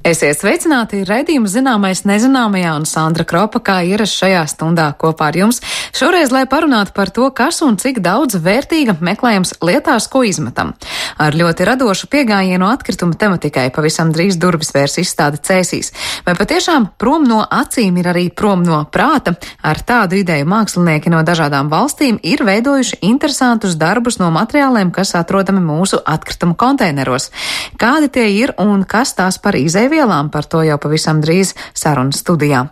Esiet sveicināti, raidījuma zināmais nezināmajā un Sandra Kropa kā ierasts šajā stundā kopā ar jums. Šoreiz, lai parunātu par to, kas un cik daudz vērtīga meklējams lietās, ko izmetam. Ar ļoti radošu piegājienu atkrituma tematikai pavisam drīz durvis vērs izstāde Cēsīs. Vai patiešām prom no acīm ir arī prom no prāta? Ar tādu ideju mākslinieki no dažādām valstīm ir veidojuši interesantus darbus no materiāliem, kas atrodami mūsu atkrituma konteineros. Kādi tie ir un kas tās par izēvielām? Par to jau pavisam drīz sarunas studijā.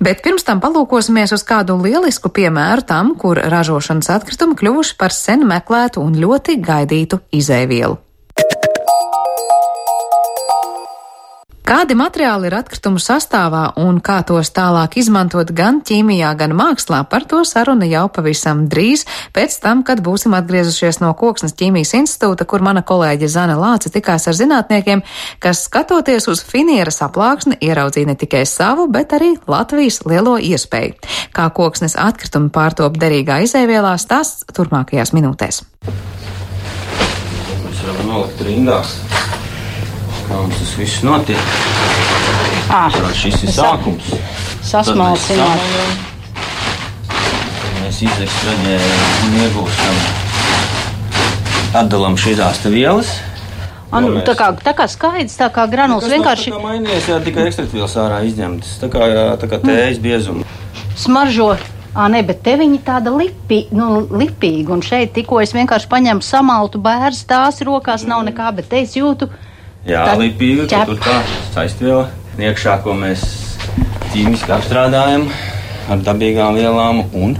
Bet pirms tam palūkosimies uz kādu lielisku piemēru tam, kur ražošanas atkritumi kļuvuši par sen meklētu un ļoti gaidītu izēvielu. Kādi materiāli ir atkritumu sastāvā un kā tos tālāk izmantot gan ķīmijā, gan mākslā, par to saruna jau pavisam drīz, pēc tam, kad būsim atgriezušies no Koksnes ķīmijas institūta, kur mana kolēģe Zane Lāce tikās ar zinātniekiem, kas skatoties uz finieras aplāksni ieraudzīja ne tikai savu, bet arī Latvijas lielo iespēju. Kā Koksnes atkritumi pārtop derīgā izēvielā, stāsts turpmākajās minūtēs. Mēs varam nolikt rindās. Kā mums tas viss notiek? Šis ir sākums. Sasmalcināt. Mēs izekstraģējam un iegūstam. Atdalam šīs te vielas. Tā kā skaidrs, tā kā granuls vienkārši. Tā kā mainījies, tikai ekstraktvielas ārā izņemtas. Tā kā tējas biezuma. Smaržo. Bet te viņi tāda lipīga, un šeit tikko es vienkārši paņemu samaltu bērzu, tās rokās nav nekā, bet te es jūtu. Jā, lipīga, ka tur tā saistviela iekšā, ko mēs ķīmiski apstrādājam ar dabīgām vielām un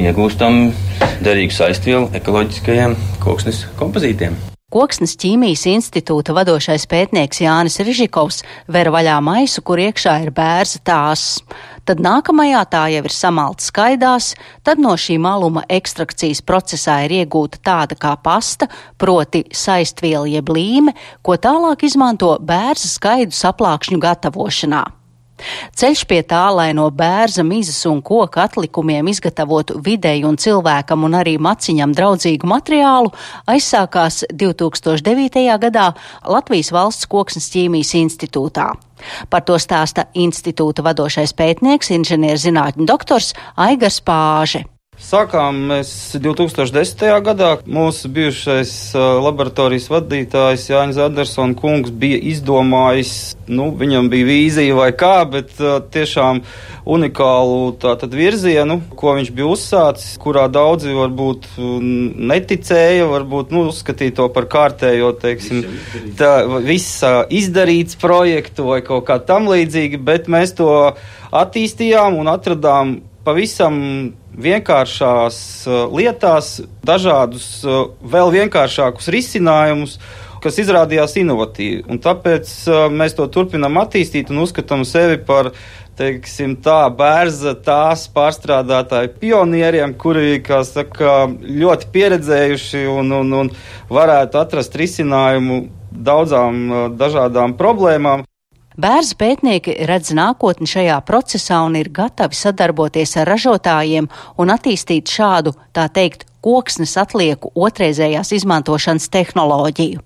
iegūstam derīgu saistvielu ekoloģiskajiem koksnes kompozītiem. Koksnes ķīmijas institūta vadošais pētnieks Jānis Rižikovs ver vaļā maisu, kur iekšā ir bērza tās. Tad nākamajā tā jau ir samalta skaidās, tad no šī maluma ekstrakcijas procesā ir iegūta tāda kā pasta, proti saistviela jeb līme, ko tālāk izmanto bērza skaidu saplākšņu gatavošanā. Ceļš pie tā, lai no bērza, mizas un koka atlikumiem izgatavotu videi un cilvēkam un arī maciņam draudzīgu materiālu, aizsākās 2009. gadā Latvijas Valsts Koksnes ķīmijas institūtā. Par to stāsta institūta vadošais pētnieks, inženierzinātņu doktors Aigars Pāže. Sākām mēs 2010. gadā. Mūsu bijušais laboratorijas vadītājs Jānis Andersona kungs bija izdomājis, viņam bija vīzija vai kā, bet tiešām unikālu tātad virzienu, ko viņš bija uzsācis, kurā daudzi varbūt neticēja, varbūt uzskatīja to par kārtējo, viss izdarīts projektu vai kaut kā tam līdzīgi, bet mēs to attīstījām un atradām pavisam vienkāršās lietās, dažādus vēl vienkāršākus risinājumus, kas izrādījās inovatīvi. Un tāpēc mēs to turpinām attīstīt un uzskatām sevi par, bērza tās pārstrādātāju pionieriem, kuri, ļoti pieredzējuši un varētu atrast risinājumu daudzām dažādām problēmām. Bērza pētnieki redz nākotni šajā procesā un ir gatavi sadarboties ar ražotājiem un attīstīt šādu, tā teikt, koksnes atlieku otrreizējās izmantošanas tehnoloģiju.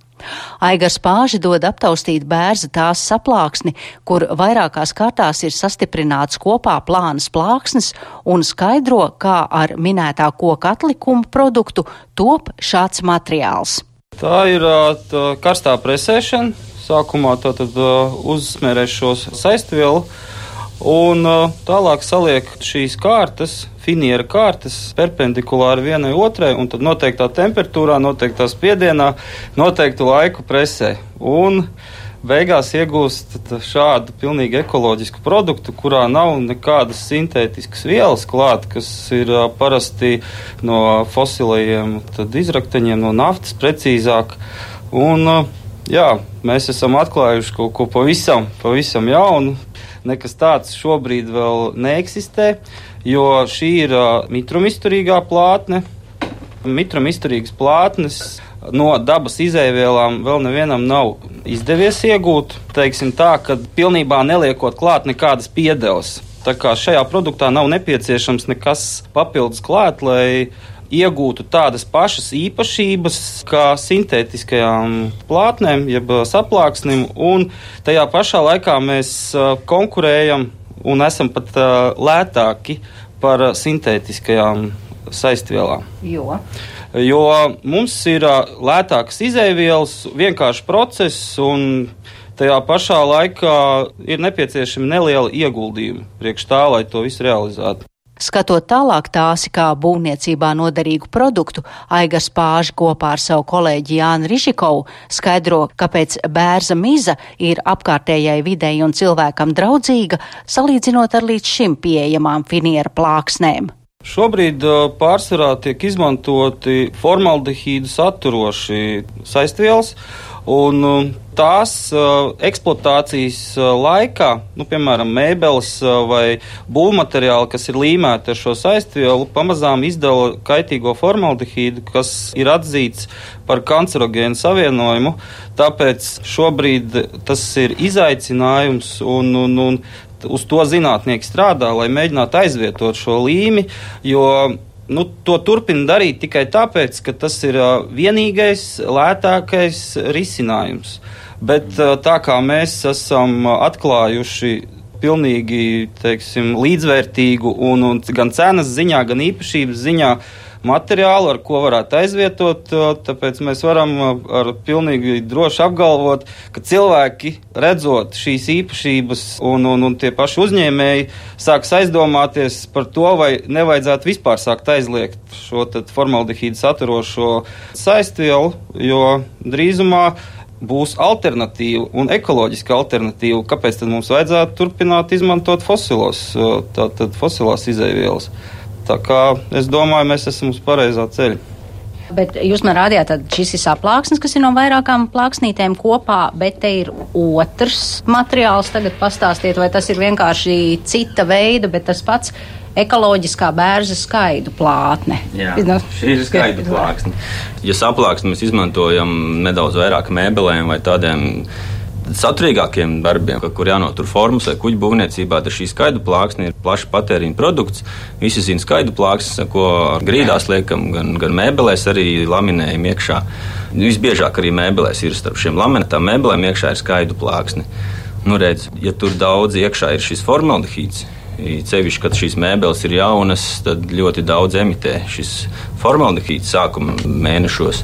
Aigars Pāži dod aptaustīt bērza tās saplāksni, kur vairākās kārtās ir sastiprināts kopā plānas plāksnes un skaidro, kā ar minētā koka atlikumu produktu top šāds materiāls. Tā ir karstā presēšana. Sākumā tātad uzsmērēs šos saistvielu un tālāk saliek šīs kārtas, finiera kārtas, perpendikulāri vienai otrai un tad noteiktā temperatūrā, noteiktā spiedienā, noteiktu laiku presē. Un beigās iegūst šādu pilnīgi ekoloģisku produktu, kurā nav nekādas sintētiskas vielas klāt, kas ir parasti no fosilajiem izrakteņiem, no naftas precīzāk. Un mēs esam atklājuši kaut ko pavisam jaunu. Nekas tāds šobrīd vēl neeksistē, jo šī ir mitrumizturīgā plātne. Mitrumizturīgas plātnes no dabas izēvielām vēl nevienam nav izdevies iegūt. Teiksim tā, ka pilnībā neliekot klāt nekādas piedevas. Tā kā šajā produktā nav nepieciešams nekas papildus klāt, lai iegūtu tādas pašas īpašības kā sintētiskajām plātnēm, jeb saplāksnim, un tajā pašā laikā mēs konkurējam un esam pat lētāki par sintētiskajām saistvielām. Jo mums ir lētākas izēvielas, vienkārši process, un tajā pašā laikā ir nepieciešami nelieli ieguldījumi priekš tā, lai to visu realizētu. Skatot tālāk tāsi kā būvniecībā noderīgu produktu, Aigars Pāži kopā ar savu kolēģi Jāni Rižikovu skaidro, kāpēc bērza miza ir apkārtējai videi un cilvēkam draudzīga, salīdzinot ar līdz šim pieejamām finiera plāksnēm. Šobrīd pārsvarā tiek izmantoti formaldehīdu saturoši saistvielas, un tās eksploatācijas laikā, piemēram, mēbeles vai būvmateriāli, kas ir līmēti ar šo saistvielu, pamazām izdala kaitīgo formaldehīdu, kas ir atzīts par kancerogēnu savienojumu. Tāpēc šobrīd tas ir izaicinājums un uz to zinātnieki strādā, lai mēģinātu aizvietot šo līmi, jo to turpina darīt tikai tāpēc, ka tas ir vienīgais, lētākais risinājums. Bet tā kā mēs esam atklājuši pilnīgi, līdzvērtīgu un gan cenas ziņā, gan īpašības ziņā materiālu, ar ko varētu aizvietot, tāpēc mēs varam ar pilnīgi droši apgalvot, ka cilvēki, redzot šīs īpašības un tie paši uzņēmēji, sāks aizdomāties par to, vai nevajadzētu vispār sākt aizliegt šo formaldehīdu saturošo saistvielu, jo drīzumā būs alternatīva un ekoloģiska alternatīva. Kāpēc tad mums vajadzētu turpināt izmantot fosilās izēvielas? Tā kā es domāju, mēs esam uz pareizā ceļa. Bet jūs man rādījāt, tad šis ir saplāksnis, kas ir no vairākām plāksnītēm kopā, bet te ir otrs materiāls. Tagad pastāstiet, vai tas ir vienkārši cita veida, bet tas pats ekoloģiskā bērza skaidu plātne. Jā, šī ir skaidu plāksne. Ja saplāksni mēs izmantojam nedaudz vairāk mēbelēm vai tādiem saturīgākiem darbiem, kur jānotur formas vai kuģu būvniecībā, tad šī skaidu plāksne ir plaša patēriņa produkts. Visi zina skaidu plāksnes, ko grīdās liekam, gan mēbelēs arī laminējam iekšā. Visbiežāk arī mēbelēs ir starp šiem laminētām mēbelēm iekšā ir skaidu plāksne. Redz, ja tur daudz iekšā ir šis formaldehīds, cevišķi, kad šīs mēbeles ir jaunas, tad ļoti daudz emitē šis formaldehīds sākuma mēnešos.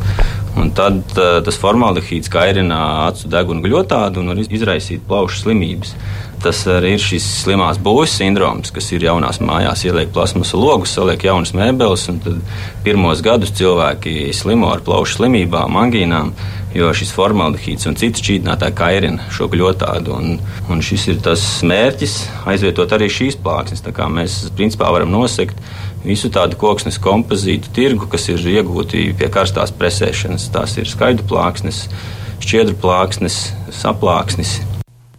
Un tad tas formaldehīds kairina acu deguna gļotādu un var izraisīt plaušu slimības. Tas arī ir šis slimās būves sindroms, kas ir jaunās mājās, ieliek plasmasu logus, saliek jaunas mēbeles, un tad pirmos gadus cilvēki slimo ar plaušu slimībām, angīnām, jo šis formaldehīds un citas šķīdinātāji kairina šo gļotādu. Un šis ir tas mērķis aizvietot arī šīs plāksnes. Tā kā mēs principā varam nosegt visu tādu koksnes kompozītu tirgu, kas ir iegūti pie karstās presēšanas. Tās ir skaidu plāksnes, šķiedru plāksnes, saplāksnes.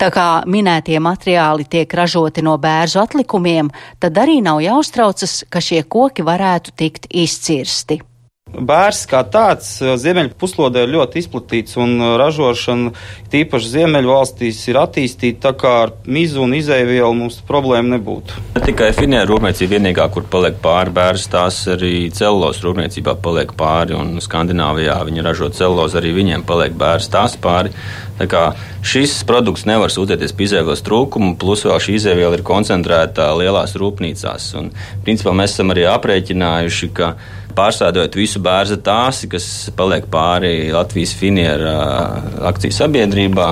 Tā kā minētie materiāli tiek ražoti no bērzu atlikumiem, tad arī nav jāuztraucas, ka šie koki varētu tikt izcirsti. Bērs kā tāds ziemeļu puslodē ir ļoti izplatīts, un ražošana tīpaši ziemeļu valstīs ir attīstīta, tā kā ar mizu un izēvielu mums problēma nebūtu. Ne tikai finieru rūpniecība vienīgā, kur paliek pāri bērs, tās arī celulozas rūpniecībā paliek pāri, un Skandināvijā viņi ražo celulozu, arī viņiem paliek bērs tās pāri. Tā kā šis produkts nevar sūdzēties pie izēvielas trūkumu, plus vēl šī izēviela ir koncentrēta lielās rūpnīcās. Un, principā, mēs esam arī aprēķinājuši, ka pārstrādājot visu bērza tāsi, kas paliek pāri Latvijas finiera akciju sabiedrībā,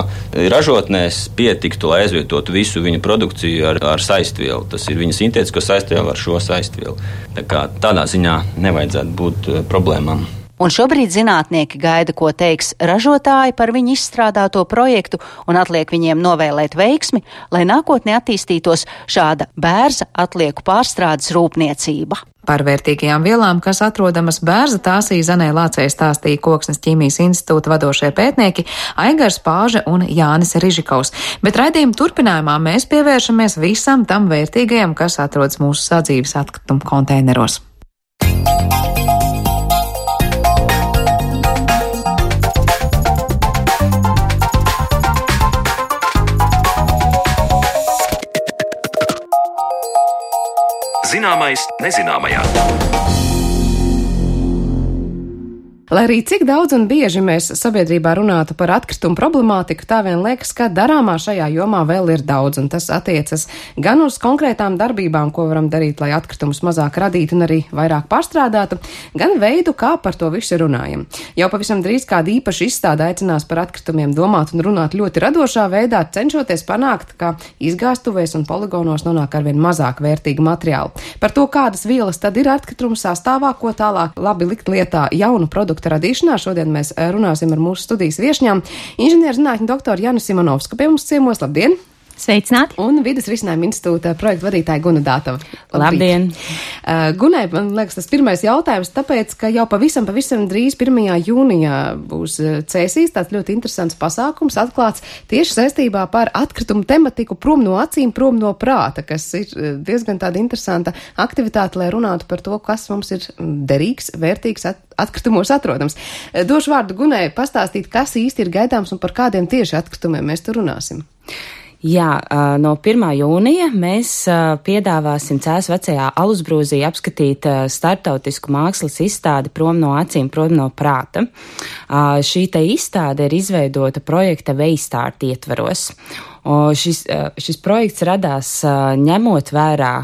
ražotnēs pietiktu, lai aizvietotu visu viņa produkciju ar saistvielu. Tas ir viņa sintētisko saistvielu ar šo saistvielu. Tā kā tādā ziņā nevajadzētu būt problēmām. Un šobrīd zinātnieki gaida, ko teiks ražotāji par viņu izstrādāto projektu, un atliek viņiem novēlēt veiksmi, lai nākotnē attīstītos šāda bērza atlieku pārstrādes rūpniecība. Par vērtīgajām vielām, kas atrodamas bērza tāsī, Zanē Lācei stāstīja Koksnes ķīmijas institūta vadošie pētnieki Aigars Pāže un Jānis Rižikovs. Bet raidījuma turpinājumā mēs pievēršamies visam tam vērtīgajam, kas atrodas mūsu sadzīves atkritumu konteineros. Zināmais nezināmajā. Lai arī cik daudz un bieži mēs sabiedrībā runātu par atkritumu problemātiku, tā vien liekas, ka darāmā šajā jomā vēl ir daudz, un tas attiecas gan uz konkrētām darbībām, ko varam darīt, lai atkritumus mazāk radītu un arī vairāk pārstrādātu, gan veidu, kā par to visu runājam. Jau pavisam drīz kāda īpaša izstāde aicinās par atkritumiem domāt un runāt ļoti radošā veidā, cenšoties panākt, ka izgāstuvēs un poligonos nonāk arvien mazāk vērtīga materiāla. Par to, kādas vielas tad ir atkritumu sastāvā, ko tālāk labi likt lietā jaunu produktu radīšanā. Šodien mēs runāsim ar mūsu studijas viešņām. Inženierzinātņu doktoru Janu Simonovsku pie mums ciemos. Labdien! Sveicināti! Un Vides risinājuma institūta projektu vadītāja Guna Dātava. Labdien! Gunai, man liekas, tas pirmais jautājums, tāpēc, ka jau pavisam drīz 1. jūnijā būs Cēsīs, tāds ļoti interesants pasākums atklāts tieši saistībā par atkritumu tematiku prom no acīm, prom no prāta, kas ir diezgan tāda interesanta aktivitāte, lai runātu par to, kas mums ir derīgs, vērtīgs atkritumos atrodams. Došu vārdu Gunai pastāstīt, kas īsti ir gaidāms un par kādiem tieši atkritumiem mēs tur runāsim. Jā, no 1. jūnija mēs piedāvāsim Cēsu vecajā Alusbrūzī apskatīt starptautisku mākslas izstādi Prom no acīm, prom no prāta. Šī te izstāde ir izveidota projekta Veistart ietvaros. Šis projekts radās ņemot vērā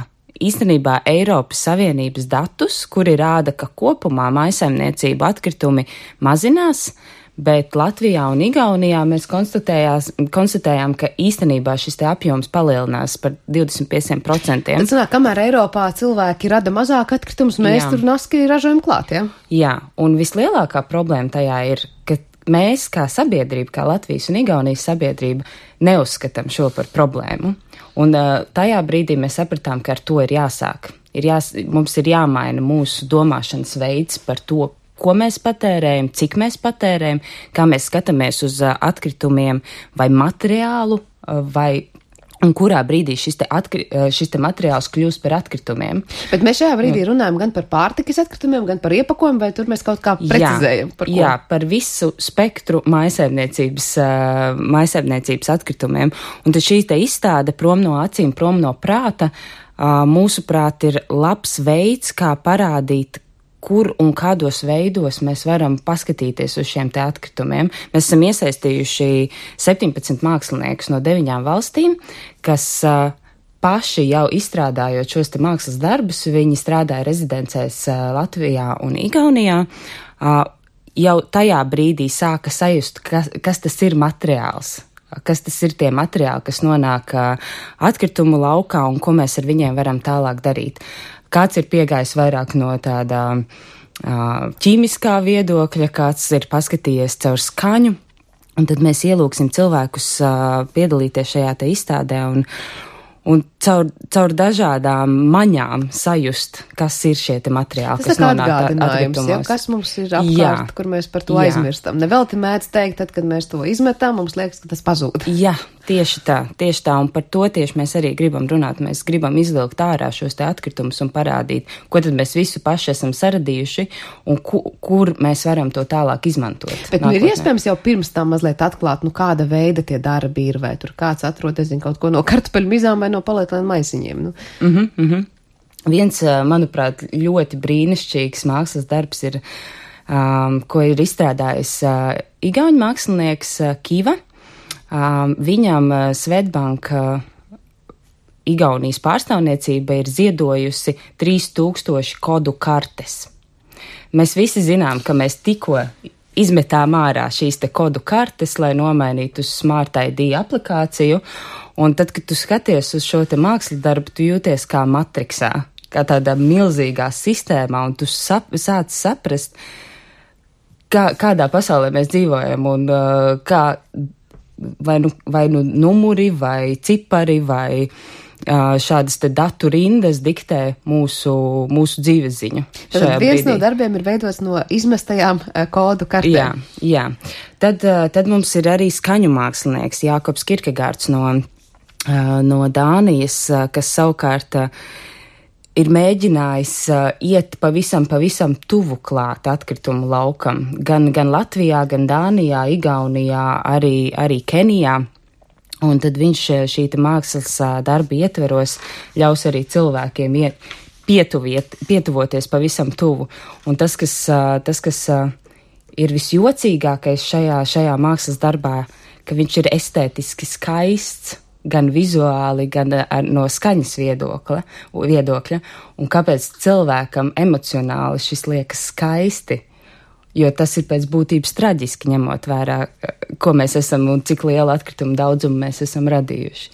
īstenībā Eiropas Savienības datus, kuri rāda, ka kopumā mājsaimniecību atkritumi mazinās, bet Latvijā un Igaunijā mēs konstatējām, ka īstenībā šis te apjoms palielinās par 25%. Tad sanāk, kamēr Eiropā cilvēki rada mazāk atkritumus, mēs tur naski ražojam klāt, ja? Jā, un vislielākā problēma tajā ir, ka mēs kā sabiedrība, kā Latvijas un Igaunijas sabiedrība, neuzskatām šo par problēmu. Un tajā brīdī mēs sapratām, ka ar to ir jāsāk. Mums ir jāmaina mūsu domāšanas veids par to, ko mēs patērējam, cik mēs patērējam, kā mēs skatāmies uz atkritumiem vai materiālu, un kurā brīdī šis te materiāls kļūst par atkritumiem. Bet mēs šajā brīdī runājam gan par pārtikas atkritumiem, gan par iepakojumu, vai tur mēs kaut kā precizējam? Par ko? Jā, par visu spektru mājsaimniecības atkritumiem. Un tad šī te izstāde Prom no acīm, prom no prāta, mūsuprāt, ir labs veids, kā parādīt, kur un kādos veidos mēs varam paskatīties uz šiem te atkritumiem. Mēs esam iesaistījuši 17 māksliniekus no 9 valstīm, kas paši jau izstrādājot šos te mākslas darbus, viņi strādāja rezidencēs Latvijā un Igaunijā, jau tajā brīdī sāka sajust, kas tas ir materiāls. Kas tas ir tie materiāli, kas nonāk atkritumu laukā un ko mēs ar viņiem varam tālāk darīt. Kāds ir piegājis vairāk no tādā ķīmiskā viedokļa, kāds ir paskatījies caur skaņu, un tad mēs ielūksim cilvēkus piedalīties šajā te izstādē un caur dažādām maņām sajust, kas ir šie te materiāli, kas nonāk atkritumos. Ja, kas mums ir apkārt, kur mēs par to aizmirstam. Nevelti mēdz teikt, tad, kad mēs to izmetam, mums liekas, ka tas pazūd. Jā, tieši tā, un par to tieši mēs arī gribam runāt. Mēs gribam izvilkt ārā šos te atkritumus un parādīt, ko tad mēs visu paši esam saradījuši un kur mēs varam to tālāk izmantot. Bet ir iespējams jau pirms tam mazliet atklāt, kāda veida tie darbi ir, vai tur kāds atrod, kaut ko no kartupeļu mizām vai no palietēm maisiņiem. Viens, manuprāt, ļoti brīnišķīgs mākslas darbs ir, ko ir izstrādājis igauņu mākslinieks Kiva. Viņam Swedbank Igaunijas pārstāvniecība ir ziedojusi 3000 kodu kartes. Mēs visi zinām, ka mēs tikko izmetām ārā šīs te kodu kartes, lai nomainītu uz Smart ID aplikāciju, un tad, kad tu skaties uz šo te mākslas darbu, tu jūties kā matriksā, kā tādā milzīgā sistēmā, un tu sāc saprast, kādā pasaulē mēs dzīvojam, un kā vai nu numuri, vai cipari, vai šādas te datu rindas diktē mūsu dzīves ziņu. Tad viens no darbiem ir veidots no izmestajām kodu kartēm. Jā. Tad mums ir arī skaņu mākslinieks Jākobs Kirkegārds no Dānijas, kas savukārt ir mēģinājis iet pavisam tuvu klāt atkritumu laukam. Gan Latvijā, gan Dānijā, Igaunijā, arī Kenijā. Un tad viņš šī mākslas darba ietveros ļaus arī cilvēkiem pietuvoties pavisam tuvu. Un tas, kas ir visjocīgākais šajā mākslas darbā, ka viņš ir estētiski skaists, gan vizuāli, gan no skaņas viedokļa, un kāpēc cilvēkam emocionāli šis liekas skaisti, jo tas ir pēc būtības traģiski, ņemot vērā, ko mēs esam un cik lielu atkritumu daudzumu mēs esam radījuši.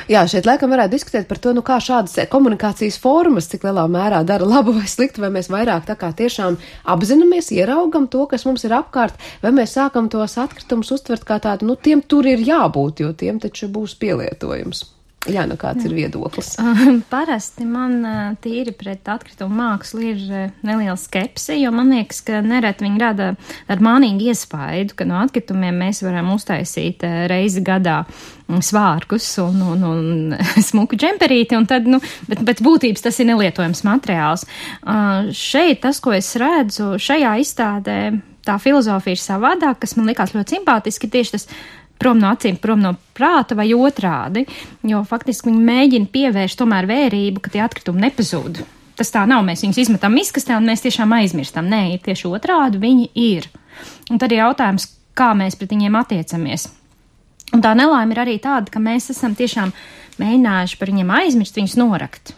Jā, šeit laikam varētu diskutēt par to, kā šādas komunikācijas formas, cik lielā mērā dara labu vai sliktu, vai mēs vairāk tā kā tiešām apzināmies, ieraugam to, kas mums ir apkārt, vai mēs sākam tos atkritumus uztvert kā tādu, tiem tur ir jābūt, jo tiem taču būs pielietojums. Jā, kāds ir viedoklis? Parasti man tīri pret atkritumu mākslu ir neliela skepse, jo man liekas, ka nereti viņi rada ar mānīgu iespaidu, ka no atkritumiem mēs varam uztaisīt reizi gadā svārkus un smuku džemperīti, un tad, bet pēc būtības tas ir nelietojams materiāls. Šeit tas, ko es redzu, šajā izstādē tā filozofija ir savādāk, kas man likās ļoti simpātiski, tieši tas prom no acīm, prom no prāta vai otrādi, jo faktiski viņi mēģina pievērst tomēr vērību, ka tie atkritumi nepazūd. Tas tā nav, mēs viņus izmetam miskastē un mēs tiešām aizmirstam. Nē, ir tieši otrādi, viņi ir. Un tad ir jautājums, kā mēs pret viņiem attiecamies. Un tā nelaime ir arī tāda, ka mēs esam tiešām mēģinājuši par viņiem aizmirst, viņus norakt.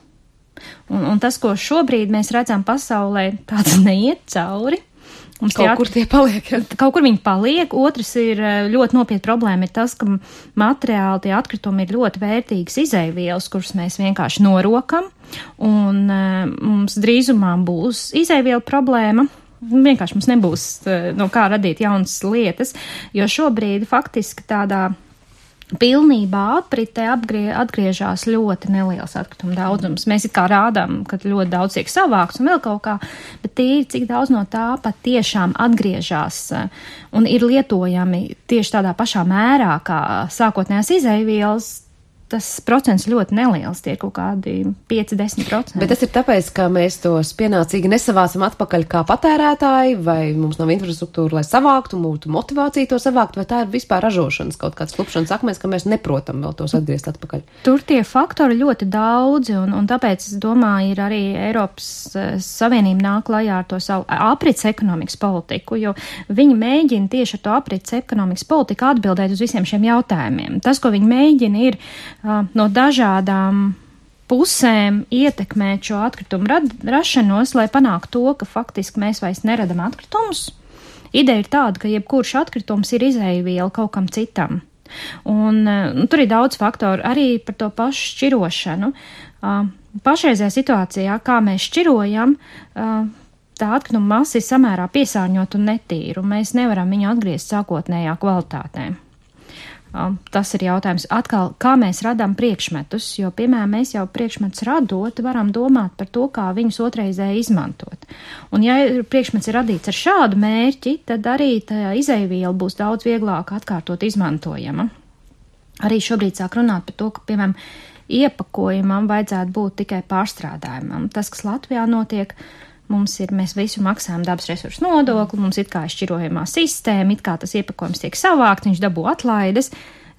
Un tas, ko šobrīd mēs redzam pasaulē, tāds neiet cauri. Kur tie paliek? Kaut kur viņi paliek. Otrs ir ļoti nopietna problēma ir tas, ka materiāli, tie atkritumi ir ļoti vērtīgas izeivielas, kuras mēs vienkārši norokam, un mums drīzumā būs izeiviela problēma. Vienkārši mums nebūs no kā radīt jaunas lietas, jo šobrīd faktiski tādā pilnībā apritē atgriežās ļoti neliels atkrituma daudzums. Mēs it kā rādām, ka ļoti daudz tiek savākts un vēl kaut kā, bet tīri cik daudz no tā pat tiešām atgriežās un ir lietojami tieši tādā pašā mērā kā sākotnējās izeivielas. Tas procents ļoti neliels, tie ir kaut kādi 5-10%. Bet tas ir tāpēc, ka mēs tos pienācīgi nesavācam atpakaļ kā patērētāji, vai mums nav infrastruktūra, lai savāktu, mūtu motivāciju to savākt, vai tā ir vispār ražošanas kaut kāds klupšanas akmens, ka mēs neprotam vēl tos atgriezt atpakaļ? Tur tie faktori ļoti daudzi, un tāpēc, es domāju, ir arī Eiropas Savienība nāk klajā ar to savu aprits ekonomikas politiku, jo viņi mēģina tieši ar to aprits ekonomikas politiku atbildēt uz visiem šiem jautājumiem. Tas, ko viņi mēģina, ir no dažādām pusēm ietekmēt šo atkritumu rašanos, lai panāktu to, ka faktiski mēs vairs neradam atkritumus. Ideja ir tāda, ka jebkurš atkritums ir izeiviela kaut kam citam. Un tur ir daudz faktoru, arī par to pašu šķirošanu. Pašreizajā situācijā, kā mēs šķirojam, tā atkrituma masa ir samērā piesārņot un netīra, un mēs nevaram viņu atgriezt sākotnējā kvalitātē. Tas ir jautājums atkal, kā mēs radām priekšmetus, jo, piemēram, mēs jau priekšmetus radot, varam domāt par to, kā viņus otrreizēji izmantot. Un ja priekšmets ir radīts ar šādu mērķi, tad arī tā izeiviela būs daudz vieglāk atkārtot izmantojama. Arī šobrīd sāk runāt par to, ka, piemēram, iepakojumam vajadzētu būt tikai pārstrādājumam. Tas, kas Latvijā notiek, mēs visu maksājam dabas resursu nodokli, mums it kā šķirojamā sistēma, it kā tas iepakojums tiek savākts, viņš dabū atlaides,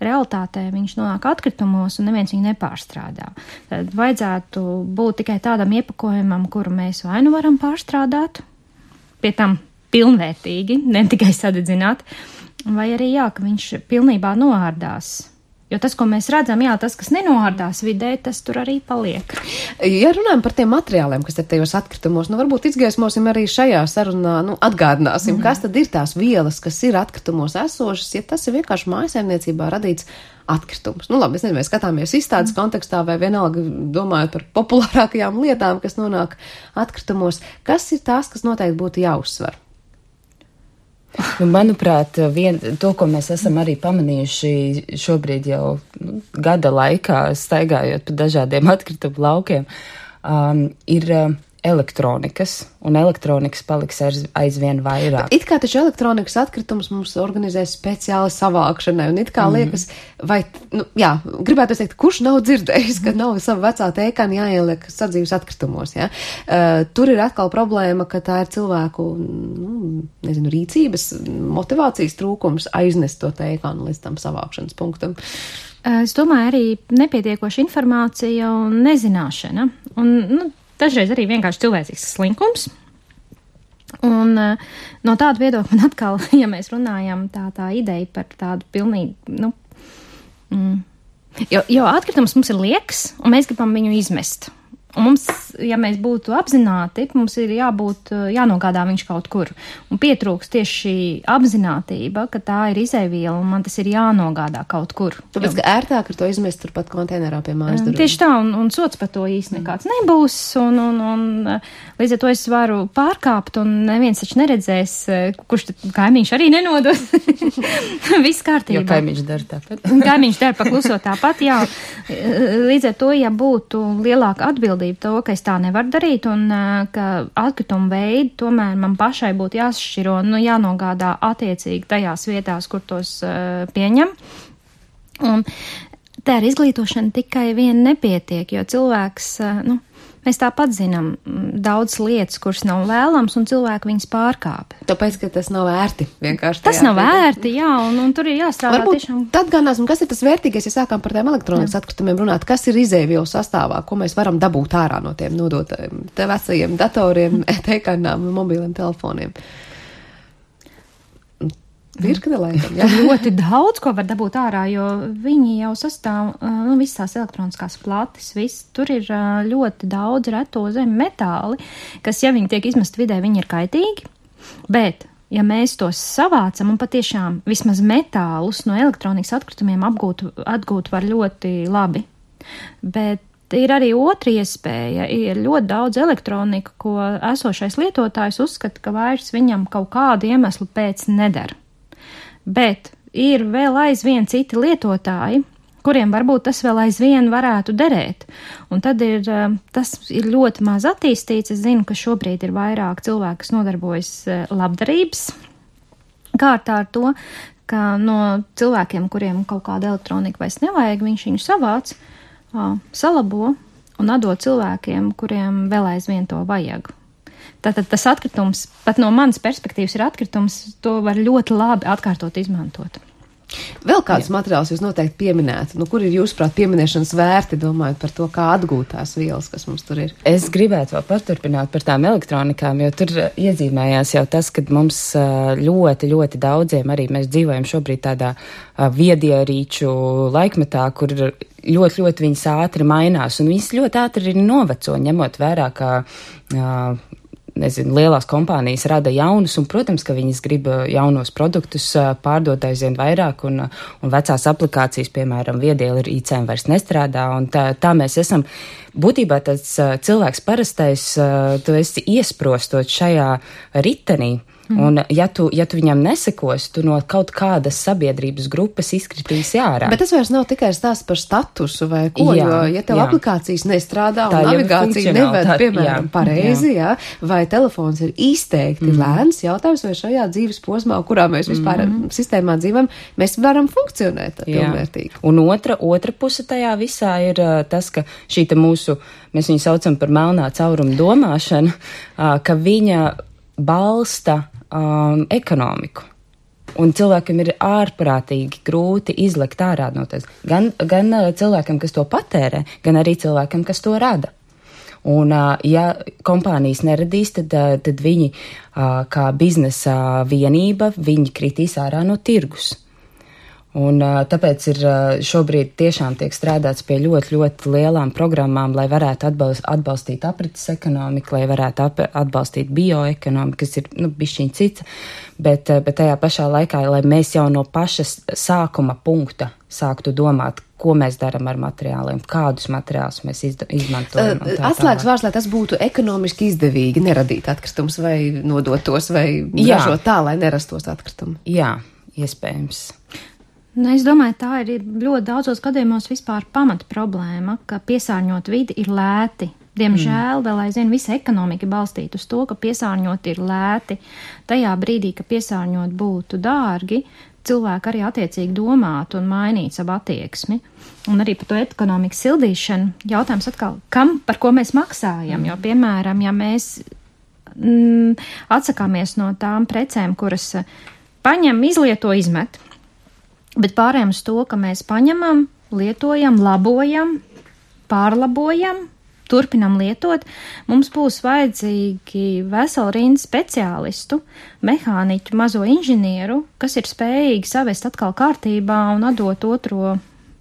realitātē viņš nonāk atkritumos un neviens viņu nepārstrādā. Tad vajadzētu būt tikai tādam iepakojumam, kuru mēs vai nu varam pārstrādāt, pie tam pilnvērtīgi, ne tikai sadedzināt, vai arī ka viņš pilnībā noārdās. Jo tas, ko mēs redzam, tas, kas nenoārdās vidē, tas tur arī paliek. Ja runājam par tiem materiāliem, kas ir tajos atkritumos, varbūt izgaismosim arī šajā sarunā, atgādināsim, kas tad ir tās vielas, kas ir atkritumos esošas, ja tas ir vienkārši mājsaimniecībā radīts atkritums. Labi, es nezinu, mēs skatāmies izstādes kontekstā vai vienalga domājot par populārākajām lietām, kas nonāk atkritumos. Kas ir tās, kas noteikti būtu jāuzsver? Manuprāt, to, ko mēs esam arī pamanījuši šobrīd jau gada laikā, staigājot pa dažādiem atkritumu laukiem, ir elektronikas, un elektronikas paliks aizvien vairāk. Bet it kā taču elektronikas atkritumus mums organizē speciāli savākšanai, un it kā liekas, vai, gribētu teikt, kurš nav dzirdējis, ka nav savu vecā tēkani jāieliek sadzīves atkritumos, Tur ir atkal problēma, ka tā ir cilvēku, rīcības, motivācijas trūkums aiznest to tēkanu līdz tam savākšanas punktam. Es domāju, arī nepietiekoša informācija un nezināšana, un, dažreiz arī vienkārši cilvēcīgs slinkums. Un no tāda viedokļa man atkal, ja mēs runājam tā ideja par tādu pilnīgi, jo atkritums mums ir liekas, un mēs gribam viņu izmest. Un mums, ja mēs būtu apzināti, mums ir jānogādā viņš kaut kur. Un pietrūks tieši šī apzinātība, ka tā ir izēviela un man tas ir jānogādā kaut kur. Tāpēc, ka ērtāk ar to izmest turpat konteinerā pie mājas durvīm. Tieši tā, un sots par to īsti nekāds nebūs, un līdz ar to es varu pārkāpt, un neviens taču neredzēs, kurš tad kaimiņš arī nenodos. Viss kārtībā. Jo kaimiņš dara tāpat. Kaimiņš dara pakluso tāpat, jā. Līdz ar to, ja būtu lielāka atbildība to, ka es tā nevaru darīt un ka atkritumu veidi tomēr man pašai būtu jāsašķiro un jānogādā attiecīgi tajās vietās, kur tos pieņem. Un tā ar izglītošanu tikai vien nepietiek, jo cilvēks, mēs tāpat zinām daudz lietas, kuras nav vēlams, un cilvēki viņas pārkāpj. Tāpēc, ka tas nav ērti vienkārši. Tas nav ērti, jā, un tur ir jāstrādā varbūt tiešām. Tad ganāsim, kas ir tas vērtīgais, ja sākām par tiem elektronikas atkritumiem runāt, kas ir izēvielu sastāvā, ko mēs varam dabūt ārā no tiem nodotajiem, te vecajiem datoriem, e-kanām, mobiliem telefoniem. Virkne laikam, jā. Ļoti daudz, ko var dabūt ārā, jo viņi jau sastāv, visas tās elektroniskās plates, tur ir ļoti daudz reto zemi metāli, kas, ja viņi tiek izmest vidē, viņi ir kaitīgi, bet, ja mēs tos savācam un patiešām vismaz metālus no elektronikas atkritumiem atgūt var ļoti labi, bet ir arī otra iespēja, ir ļoti daudz elektronika, ko esošais lietotājs uzskata, ka vairs viņam kaut kādu iemeslu pēc nedara. Bet ir vēl aizvien citi lietotāji, kuriem varbūt tas vēl aizvien varētu derēt. Un tad tas ir ļoti maz attīstīts. Es zinu, ka šobrīd ir vairāk cilvēku, kas nodarbojas labdarības kārtā ar to, ka no cilvēkiem, kuriem kaut kāda elektronika vairs nevajag, viņš viņu savāc, salabo un atdod cilvēkiem, kuriem vēl aizvien to vajag. Tātad tas atkritums, pat no manas perspektīvas ir atkritums, to var ļoti labi atkārtot izmantot. Vēl kādus materiālus jūs noteikti pieminētu? Kur ir jūsuprāt pieminēšanas vērti, domājot par to, kā atgūt tās vielas, kas mums tur ir? Es gribētu vēl paturpināt par tām elektronikām, jo tur iezīmējās jau tas, ka mums ļoti, ļoti daudziem arī mēs dzīvojam šobrīd tādā viedierīču laikmetā, kur ļoti, ļoti viņas ātri mainās, un viņas ļoti ātri ir noveco, ņemot vērā, ka lielās kompānijas rada jaunus, un, protams, ka viņas grib jaunos produktus pārdot aizvien vairāk, un vecās aplikācijas, piemēram, viedierīcēm vairs nestrādā, un tā mēs esam. Būtībā tāds cilvēks parastais, tu esi iesprostot šajā ritenī, un ja tu viņam nesekos, tu no kaut kādas sabiedrības grupas izkritīsi ārā. Bet tas vairs nav tikai stāsts par statusu vai ko, jo, ja tev aplikācijas nestrādā un navigācija neved, piemēram, pareizi, vai telefons ir izteikti lēns, jautājums, vai šajā dzīves posmā, kurā mēs vispār sistēmā dzīvam, mēs varam funkcionēt pilnvērtīgi. Un otra puse tajā visā ir tas, ka šī mūsu, mēs viņu saucam par melnā cauruma domāšanu, ka viņa balsta ekonomiku. Un cilvēkam ir ārprātīgi grūti izlekt ārā no tas. Gan cilvēkam, kas to patērē, gan arī cilvēkam, kas to rada. Un, ja kompānijas neradīs, tad viņi kā biznesa vienība, viņi kritīs ārā no tirgus. Un tāpēc ir šobrīd tiešām tiek strādāts pie ļoti, ļoti lielām programmām, lai varētu atbalstīt aprits ekonomiku, lai varētu atbalstīt bioekonomiku, kas ir, bišķiņ cits, bet tajā pašā laikā, lai mēs jau no paša sākuma punkta sāktu domāt, ko mēs darām ar materiāliem, kādus materiālus mēs izmantojam. Atslēgas vārds, lai tas būtu ekonomiski izdevīgi neradīt atkritumus vai nodot tos vai ražot tā, lai nerastos atkritumi. Jā, iespējams. Es domāju, tā ir ļoti daudzos gadījumos vispār pamata problēma, ka piesārņot vidi ir lēti. Diemžēl vēl aizvien visa ekonomika balstīta uz to, ka piesārņot ir lēti. Tajā brīdī, ka piesārņot būtu dārgi, cilvēki arī attiecīgi domātu un mainītu savu attieksmi. Un arī par to ekonomikas sildīšanu jautājums atkal, par ko mēs maksājam? Jo, piemēram, ja mēs atsakāmies no tām precēm, kuras paņem, izlieto, izmet, bet pārējām uz to, ka mēs paņemam, lietojam, labojam, pārlabojam, turpinam lietot, mums būs vajadzīgi vesela rinda speciālistu, mehāniķu, mazo inženieru, kas ir spējīgi savest atkal kārtībā un atdot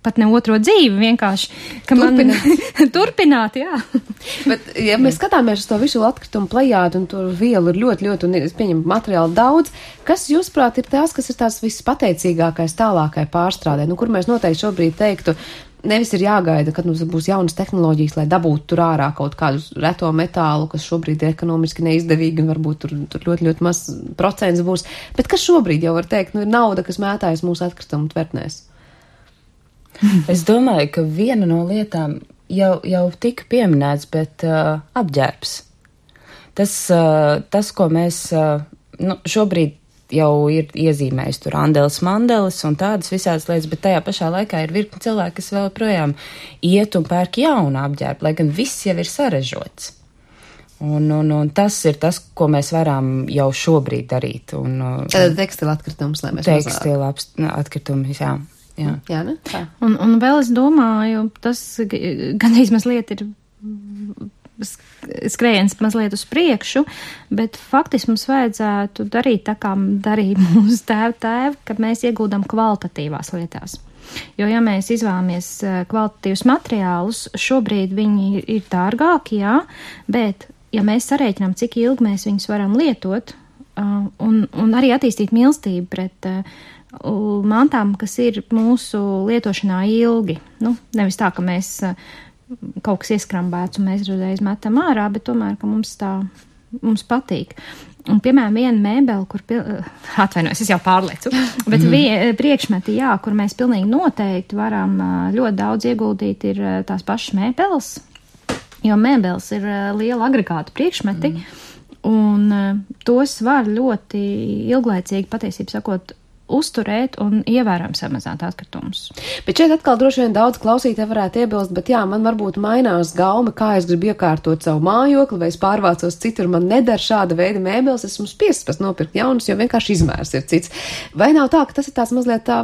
pat ne otro dzīvi, vienkārši, ka turpināt, jā. Bet, ja mēs skatāmies uz to visu atkritumu plejādu un to vielu ir ļoti, un es pieņemu materiāli daudz, kas, jūsuprāt, ir tās, kas ir tās vispateicīgākais tālākai pārstrādē, kur mēs noteikti šobrīd teiktu, nevis ir jāgaida, kad mums būs jaunas tehnoloģijas, lai dabūtu tur ārā kaut kādu reto metālu, kas šobrīd ir ekonomiski neizdevīgi un varbūt tur ļoti maz procents būs, bet kas šobrīd jau var teikt, ir nauda, kas mētājas mūsu atkritumu tvertnēs? Es domāju, ka viena no lietām jau tika pieminēts, bet apģērbs. Tas, ko mēs šobrīd jau ir iezīmējis tur andeles, mandeles un tādas visādas lietas, bet tajā pašā laikā ir virkni cilvēki, kas vēl projām iet un pērk jaunu apģērbu, lai gan viss jau ir sarežots. Un tas ir tas, ko mēs varam jau šobrīd darīt. Tad tekstila atkritums, lai mēs tekstila atkritumus, jā. Jā, ne? Tā. Un vēl es domāju, tas gandrīz mazliet ir skrējiens mazliet uz priekšu, bet faktiski mums vajadzētu darīt tā, kā darīja mūsu tēvi, kad mēs iegūdam kvalitatīvās lietās. Jo, ja mēs izvēlamies kvalitatīvus materiālus, šobrīd viņi ir dārgāki, jā, bet ja mēs sarēķinām, cik ilgi mēs viņus varam lietot, un arī attīstīt mīlestību pret mantām, kas ir mūsu lietošanā ilgi. Nevis tā, ka mēs kaut kas ieskrambēts un mēs uzreiz metam ārā, bet tomēr, ka mums patīk. Un, piemēram, viena mēbele, kur atvainojos, es jau pārlecu, bet priekšmeti, jā, kur mēs pilnīgi noteikti varam ļoti daudz ieguldīt, ir tās pašas mēbeles, jo mēbeles ir liela agregāta priekšmeti, un tos var ļoti ilglaicīgi, patiesībā sakot, uzturēt un ievērojami samazināt atkritumus. Bet šeit atkal droši vien daudz klausītāji varētu iebilst, bet jā, man varbūt mainās gauma, kā es gribu iekārtot savu mājokli, vai es pārvācos citur, man nedara šāda veida mēbeles, esmu spiests nopirkt jaunus, jo vienkārši izmērs ir cits. Vai nav tā, ka tas ir tās mazliet tā,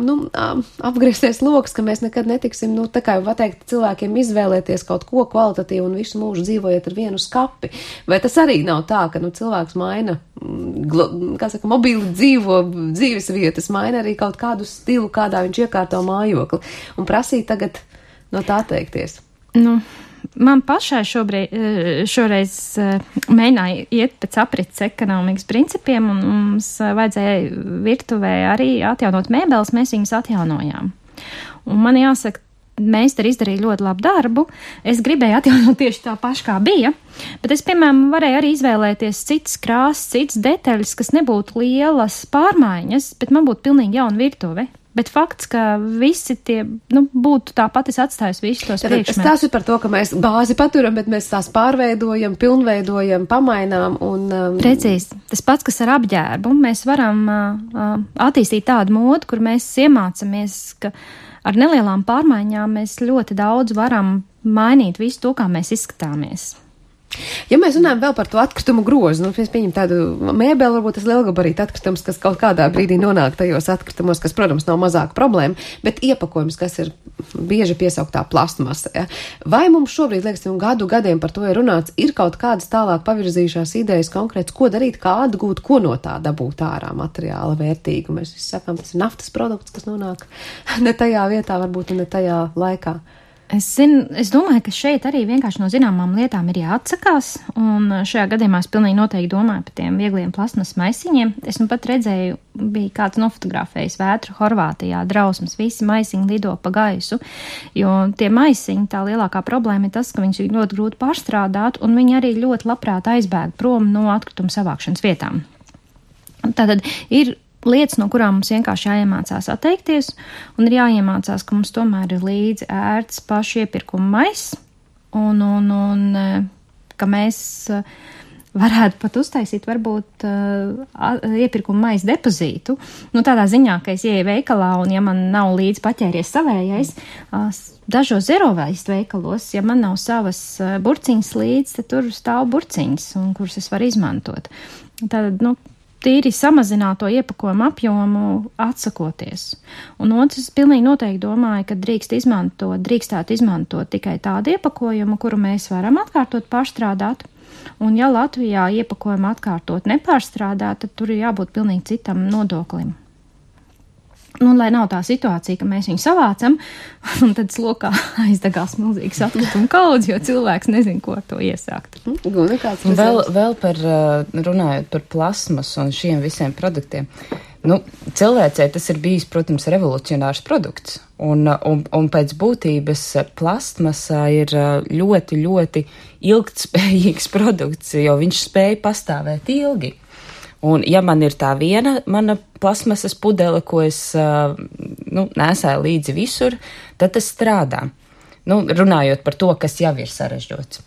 apgriezties loks, ka mēs nekad netiksim, tā kā jau pateikt cilvēkiem izvēlēties kaut ko kvalitatīvu un visu mūžu dzīvojot ar vienu skapi? Vai tas arī nav tā, ka cilvēks maina, mobīli dzīves vietas, maina arī kaut kādu stilu, kādā viņš iekārto mājokli, un prasīt tagad no tā atteikties? Man pašai šoreiz mēģināja iet pēc aprits ekonomikas principiem, un mums vajadzēja virtuvē arī atjaunot mēbeles, mēs viņas atjaunojām. Un man jāsaka, meistari izdarīja ļoti labu darbu. Es gribēju atjaunot tieši tā paši, kā bija, bet es, piemēram, varēju arī izvēlēties citas krāsas, citas detaļas, kas nebūtu lielas pārmaiņas, bet man būtu pilnīgi jauna virtuve. Bet fakts, ka visi tie, būtu tāpat, es atstāju visus tos priekšmetus. Tas ir par to, ka mēs bāzi paturam, bet mēs tās pārveidojam, pilnveidojam, pamainām un... Precīzi. Tas pats, kas ar apģērbu. Mēs varam attīstīt tādu modu, kur mēs iemācamies, ka ar nelielām pārmaiņām mēs ļoti daudz varam mainīt visu to, kā mēs izskatāmies. Ja mēs runājam vēl par to atkritumu grozu, mēs pieņem tādu mēbeli, varbūt tas lielgabarīta atkritums, kas kaut kādā brīdī nonāk tajos atkritumos, kas, protams, nav mazāka problēma, bet iepakojums, kas ir bieži piesauktā plastmasa. Ja? Vai mums šobrīd, liekas, gadiem par to ir runāts, ir kaut kādas tālāk pavirzījušās idejas konkrēts, ko darīt, kā atgūt, ko no tā dabūt ārā materiāla vērtīgu? Mēs visi sakām, tas ir naftas produkts, kas nonāk ne tajā vietā, varbūt ne tajā laikā. Es domāju, ka šeit arī vienkārši no zināmām lietām ir jāatsakās, un šajā gadījumā es pilnīgi noteikti domāju par tiem viegliem plasmas maisiņiem. Es pat redzēju, bija kāds nofotografējis vētru Horvātijā, drausmas, visi maisiņi lido pa gaisu, jo tie maisiņi, tā lielākā problēma ir tas, ka viņus ir ļoti grūti pārstrādāt, un viņi arī ļoti labprāt aizbēg prom no atkrituma savākšanas vietām. Tātad ir lietas, no kurām mums vienkārši jāiemācās atteikties, un ir jāiemācās, ka mums tomēr ir līdzi ērts pašu iepirkuma maiss, un ka mēs varētu pat uztaisīt varbūt iepirkuma maisa depozītu. Tādā ziņā, ka es ieeju veikalā, un ja man nav līdzi paķēries savējais, dažos zero waste veikalos, ja man nav savas burciņas līdzi, tad tur stāv burciņas, un kuras es varu izmantot. Tad, tīri samazināto iepakojumu apjomu atsakoties. Un otrs, es pilnīgi noteikti domāju, ka drīkstētu izmantot tikai tādu iepakojumu, kuru mēs varam atkārtot pārstrādāt. Un ja Latvijā iepakojumu atkārtot nepārstrādāt, tad tur ir jābūt pilnīgi citam nodoklim. Nu, lai nav tā situācija, ka mēs viņu savācam, un tad slokā aizdegās milzīgs atkritumu kaudz, jo cilvēks nezin, ko ar to iesākt. Vēl par, runājot par plasmas un šiem visiem produktiem. Nu, cilvēcei tas ir bijis, protams, revolucionārs produkts, un pēc būtības plastmasā ir ļoti, ļoti ilgtspējīgs produkts, jo viņš spēj pastāvēt ilgi. Un ja man ir tā viena mana plasmasas pudele, ko es nesāju līdzi visur, tad tas strādā. Nu, runājot par to, kas jau ir sarežģots.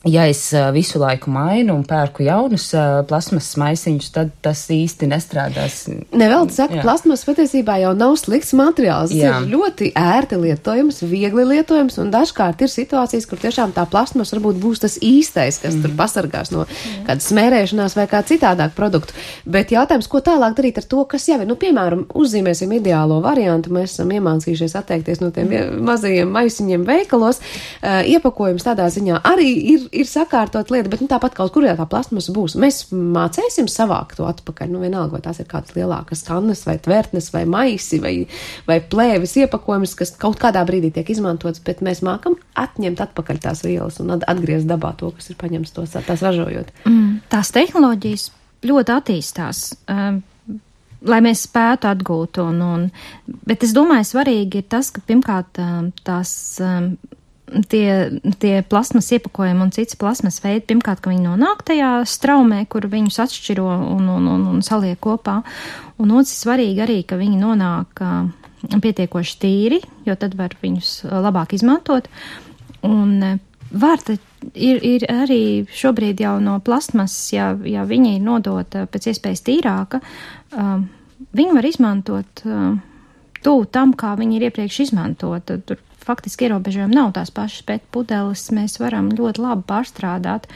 Ja es visu laiku mainu un pērku jaunus plasmasas maisiņus, tad tas īsti nestrādās. Nevelti saka, plasmas patiesībā jau nav slikts materiāls. Tas ir ļoti ērti lietojams, viegli lietojams, un dažkārt ir situācijas, kur tiešām tā plasmas varbūt būs tas īstais, kas tur pasargās no kādas smērēšanās vai kā citādāk produktu. Bet jautājums, ko tālāk darīt ar to, kas jau ir? Nu, piemēram, uzzīmēsim ideālo variantu. Mēs esam iemācījušies atteikties no tiem mazajiem maisiņiem veikalos. Iepakojums tādā ziņā arī ir sakārtot lieta, bet tāpat kaut kur tā plasmasa būs. Mēs mācēsim savākt to atpakaļ. Nu, vienalga, vai tās ir kādas lielākas kannas, vai tvertnes, vai maisi, vai plēvis iepakojumus, kas kaut kādā brīdī tiek izmantots, bet mēs mākam atņemt atpakaļ tās vielas un atgriezt dabā to, kas ir paņemts tās ražojot. Tās tehnoloģijas ļoti attīstās, lai mēs spētu atgūt. Bet es domāju, svarīgi ir tas, ka pirmkārt tās tie plasmas iepakojumi un cits plasmas veidi, pirmkārt, ka viņi nonāk tajā straumē, kur viņus atšķiro un saliek kopā. Un otrs svarīgi arī, ka viņi nonāk pietiekoši tīri, jo tad var viņus labāk izmantot. Un ir arī šobrīd jau no plasmas, ja viņa ir nodota pēc iespējas tīrāka, viņi var izmantot tuvu tam, kā viņi ir iepriekš izmantota. Tur faktiski ierobežojumi nav tās pašas PET pudeles, mēs varam ļoti labi pārstrādāt.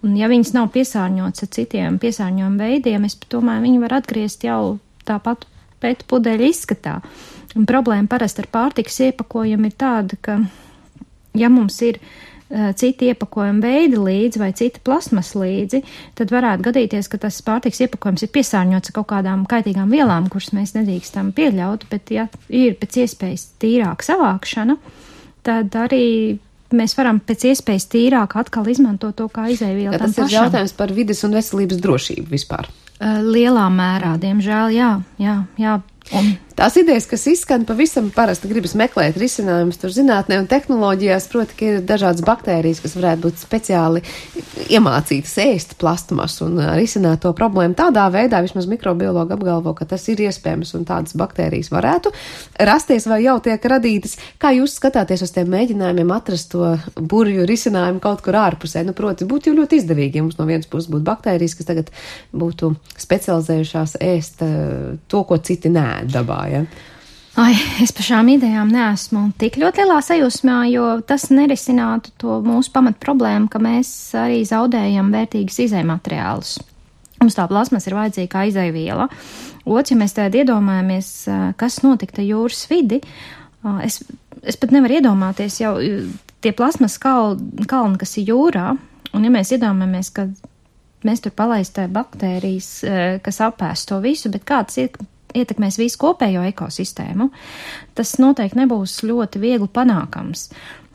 Un ja viņas nav piesārņotas ar citiem piesārņojumu veidiem, es domāju, viņi var atgriezt jau tāpat PET pudeļu izskatā. Un problēma parasti ar pārtikas iepakojumu ir tāda, ka ja mums ir citi iepakojuma veidi līdzi vai cita plasmas līdzi, tad varētu gadīties, ka tas pārtiks iepakojums ir piesārņots ar kaut kādām kaitīgām vielām, kuras mēs nedrīkstam pieļaut, bet ja ir pēc iespējas tīrāka savākšana, tad arī mēs varam pēc iespējas tīrāk atkal izmantot to kā izēvielu tam pašam. Tas ir jautājums par vides un veselības drošību vispār. Lielā mērā, diemžēl, jā. Un tās idejas, kas izskan, pavisam parasti gribas meklēt risinājumus tur zinātnē un tehnoloģijās, proti, ka ir dažādas baktērijas, kas varētu būt speciāli iemācītas ēst plastmasu un risināt to problēmu tādā veidā, vismaz mikrobiologi apgalvo, ka tas ir iespējams un tādas baktērijas varētu rasties vai jau tiek radītas. Kā jūs skatāties uz tiem mēģinājumiem atrast to burvju risinājumu kaut kur ārpusē? Nu, proti, būtu jau ļoti izdevīgi, ja mums no vienas puses būtu baktērijas, kas tagad būtu specializējušās ēst to, ko citi nē dabā, ja? Es par šām idejām neesmu tik ļoti lielā sajūsmā, jo tas nerisinātu to mūsu pamat problēmu, ka mēs arī zaudējam vērtīgas izējmateriālus. Mums tā plasmas ir vajadzīga kā izējviela. Otrs, ja mēs tādā iedomājamies, kas notika jūras vidi, es pat nevaru iedomāties jau tie plasmas kalni, kas ir jūrā, un ja mēs iedomājamies, ka mēs tur palaistē baktērijas, kas apēst to visu, bet kāds ietekmēs visu kopējo ekosistēmu, tas noteikti nebūs ļoti viegli panākams.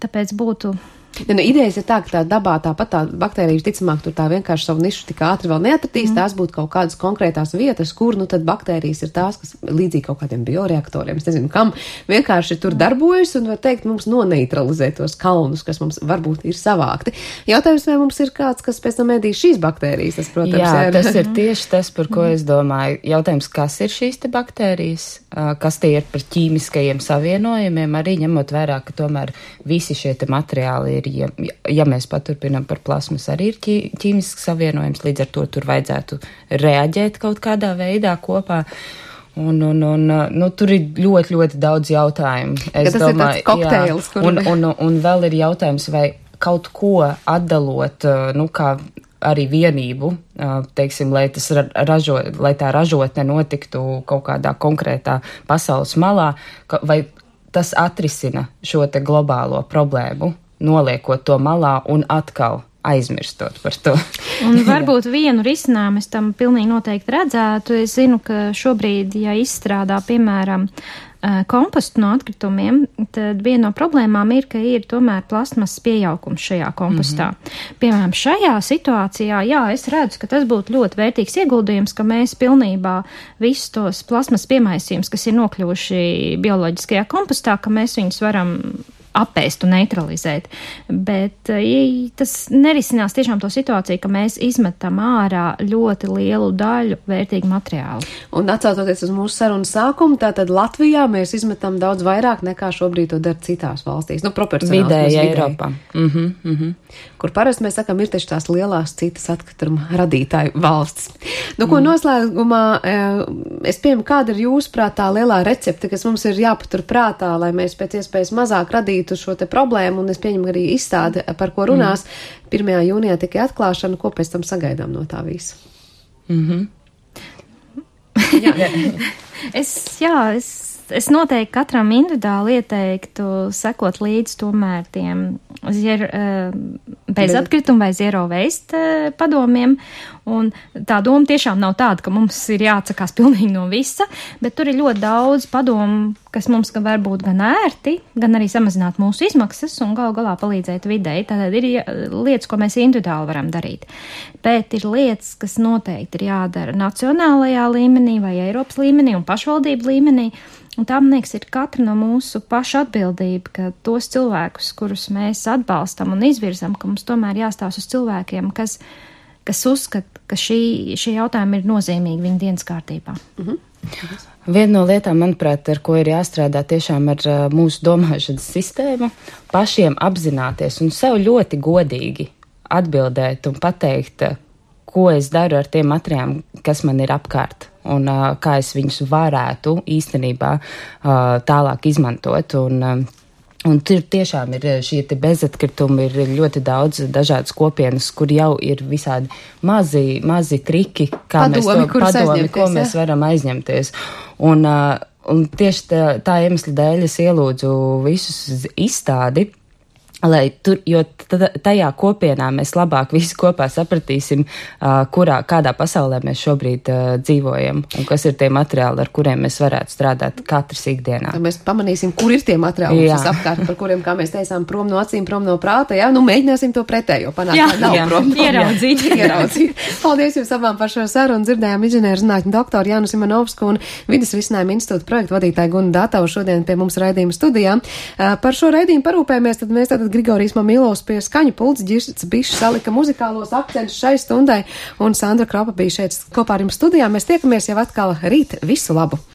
Tāpēc būtu... Idejas ir tā, ka tā dabā tāpat tā baktērija ticamāk tur tā vienkārši savu nišu tik ātri vēl neatratīs, tās būtu kaut kādas konkrētās vietas, kur tad baktērijas ir tās, kas līdzīgi kaut kādiem bioreaktoriem, es nezinu, kam vienkārši tur darbojas un var teikt mums noneitralizē tos kalnus, kas mums varbūt ir savākti. Jautājums, vai mums ir kāds, kas pēc tam ēdīs šīs baktērijas, tas, protams, jā, tas ir tieši tas, par ko es domāju. Jautājums, kas ir šīs te baktērijas, kas tie ir par ķīmiskajiem savienojumiem, arī ņemot vērā, ka tomēr visi šie te materiāli ir, ja mēs paturpinām par plasmas, arī ir ķīmisks savienojums, līdz ar to tur vajadzētu reaģēt kaut kādā veidā kopā. Un tur ir ļoti, ļoti daudz jautājumu. Es domāju, ir tāds kokteils, un vēl ir jautājums, vai kaut ko atdalot, kā arī vienību, teiksim, lai tā ražotne notiktu kaut kādā konkrētā pasaules malā, vai tas atrisina šo te globālo problēmu, noliekot to malā un atkal aizmirstot par to. Un varbūt vienu risinājumu es tam pilnīgi noteikti redzētu. Es zinu, ka šobrīd, ja izstrādā, piemēram, kompostu no atkritumiem, tad viena no problēmām ir, ka ir tomēr plasmasas piejaukums šajā kompostā. Piemēram, šajā situācijā, jā, es redzu, ka tas būtu ļoti vērtīgs ieguldījums, ka mēs pilnībā visus tos plasmasas piemaisījumus, kas ir nokļuvuši bioloģiskajā kompostā, ka mēs viņus varam apēst un neutralizēt. Bet tas nerisinās tiešām to situāciju, ka mēs izmetam ārā ļoti lielu daļu vērtīgu materiālu. Un atcaucoties uz mūsu sarunas sākumu, tātad Latvijā mēs izmetam daudz vairāk nekā šobrīd to dara citās valstīs. Proporcionāli. Vidēji Eiropā. Kur parasti mēs sakam, ir taču tās lielās citas atkrituma radītāju valstis. Ko noslēgumā, es pieņemu, kāda ir jūsuprāt tā lielā recepte, kas mums ir jāpatur prātā, lai mēs pēc iespējas mazāk radītu šo te problēmu, un es pieņemu arī izstādi, par ko runās. 1. jūnijā tikai atklāšana, ko pēc tam sagaidām no tā visa? Es noteikti katram individuāli ieteiktu sekot līdz tomēr tiem bez atkrituma vai zero waste padomiem. Un tā doma tiešām nav tāda, ka mums ir jāatsakās pilnīgi no visa, bet tur ir ļoti daudz padomu, kas mums var būt gan ērti, gan arī samazināt mūsu izmaksas un gal galā palīdzēt videi. Tātad ir lietas, ko mēs individuāli varam darīt. Bet ir lietas, kas noteikti ir jādara nacionālajā līmenī vai Eiropas līmenī un pašvaldību līmenī. Un tā, man liekas, ir katra no mūsu paša atbildība, ka tos cilvēkus, kurus mēs atbalstam un izvirzam, ka mums tomēr jāstāsta uz cilvēkiem, kas uzskata, ka šī jautājuma ir nozīmīga viņa dienas kārtībā. Viena no lietām, manuprāt, ar ko ir jāstrādā tiešām ar mūsu domāšanas sistēmu, pašiem apzināties un sev ļoti godīgi atbildēt un pateikt, ko es daru ar tiem materiāliem, kas man ir apkārt, un kā es viņus varētu īstenībā tālāk izmantot. Un tur tiešām ir šie te bezatkritumi, ir ļoti daudz dažādas kopienas, kur jau ir visādi mazi triki, kā padomi, ko mēs varam aizņemties. Un tieši tā iemesla dēļ es ielūdzu visus izstādi, lai tur, jo tajā kopienā mēs labāk visi kopā sapratīsim, kādā pasaulē mēs šobrīd dzīvojam un kas ir tie materiāli, ar kuriem mēs varētu strādāt katrs ikdienā. Mēs pamanīsim, kur ir tie materiāli apkārt, par kuriem, kā mēs teicām, prom no acīm, prom no prāta, mēģināsim to pretējo panākt, lai nav prom. Ieraudzīt. Paldies jums abām par šo sarunu. Dzirdējām inženierzinātņu doktoru Jānu Simonovsku un Vides risinājuma institūta projektu vadītāju Gunu Datavu šodien pie mums raidījuma studijā. Par šo raidījumu parūpējamies, tad mēs Grigorijs Mamilovs pie skaņu pults, Girts Bišs salika muzikālos akcentus šai stundai, un Sandra Kropa bija šeit kopā ar jums studijā. Mēs tiekamies jau atkal rīt. Visu labu!